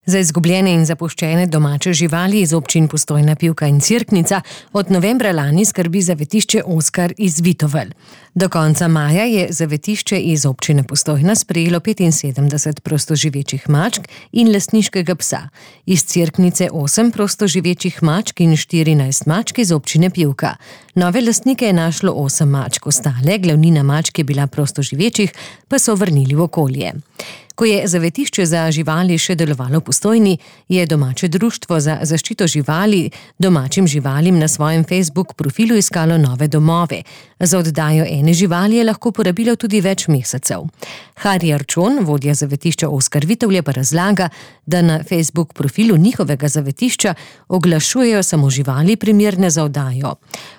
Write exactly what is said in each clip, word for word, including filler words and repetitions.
Za izgubljene in zapuščene domače živali iz občin Postojna, Pivka in Cerknica od novembra lani skrbi zavetišče Oskar iz Vitovelj. Do konca maja je zavetišče iz občine Postojna sprejelo petinsedemdeset prostoživečih mačk in lastniškega psa. Iz Cerknice osem prostoživečih mačk in štirinajst mačk iz občine Pivka. Nove lastnike je našlo osem mačk, ostale, glavnina mačk je bila prostoživečih, pa so vrnili v okolje. Ko je zavetišče za živali še delovalo v Postojni, je domače društvo za zaščito živali domačim živalim na svojem Facebook profilu iskalo nove domove. Za oddajo ene živali je lahko porabilo tudi več mesecev. Harry Arčon, vodja zavetišča Oskar Vitovlje, pa razlaga, da na Facebook profilu njihovega zavetišča oglašujejo samo živali primerne za oddajo.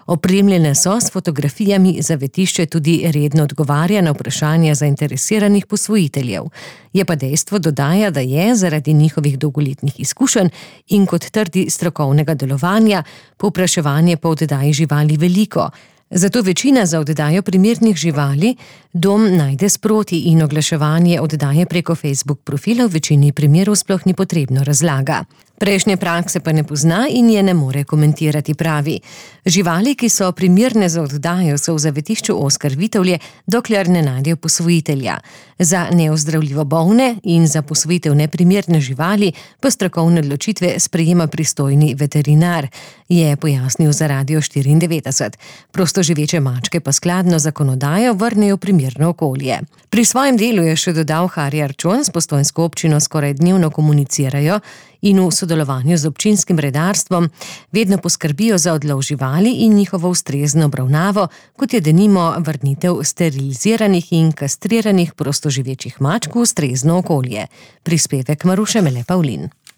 Opremljene so s fotografijami, zavetišče tudi redno odgovarja na vprašanja zainteresiranih posvojiteljev. Je pa dejstvo, dodaja, da je zaradi njihovih dolgoletnih izkušenj in kot trdi strokovnega delovanja povpraševanje po oddaji živali veliko. Zato večina za oddajo primernih živali dom najde sproti in oglaševanje oddaje preko Facebook profila v večini primerov sploh ni potrebno, razlaga. Prejšnje prakse pa ne pozna in je ne more komentirati, pravi. Živali, ki so primerne za oddajo, so v zavetišču Oskar Vitovlje, dokler ne najdejo posvojitelja. Za neozdravljivo bolne in za posvojitev neprimerne živali pa strokovne odločitve sprejema pristojni veterinar, je pojasnil za Radio štiriindevetdeset. Prostoživeče mačke pa skladno zakonodajo vrnejo v primerno okolje. Pri svojem delu je še dodal Harry Arčon, s postojnsko občino skoraj dnevno komunicirajo in v sodelovanju z občinskim redarstvom vedno poskrbijo za odlov živali in njihovo ustrezno obravnavo, kot je denimo vrnitev steriliziranih in kastriranih prostoživečih mačk v ustrezno okolje. Prispevek Maruše Mele Pavlin.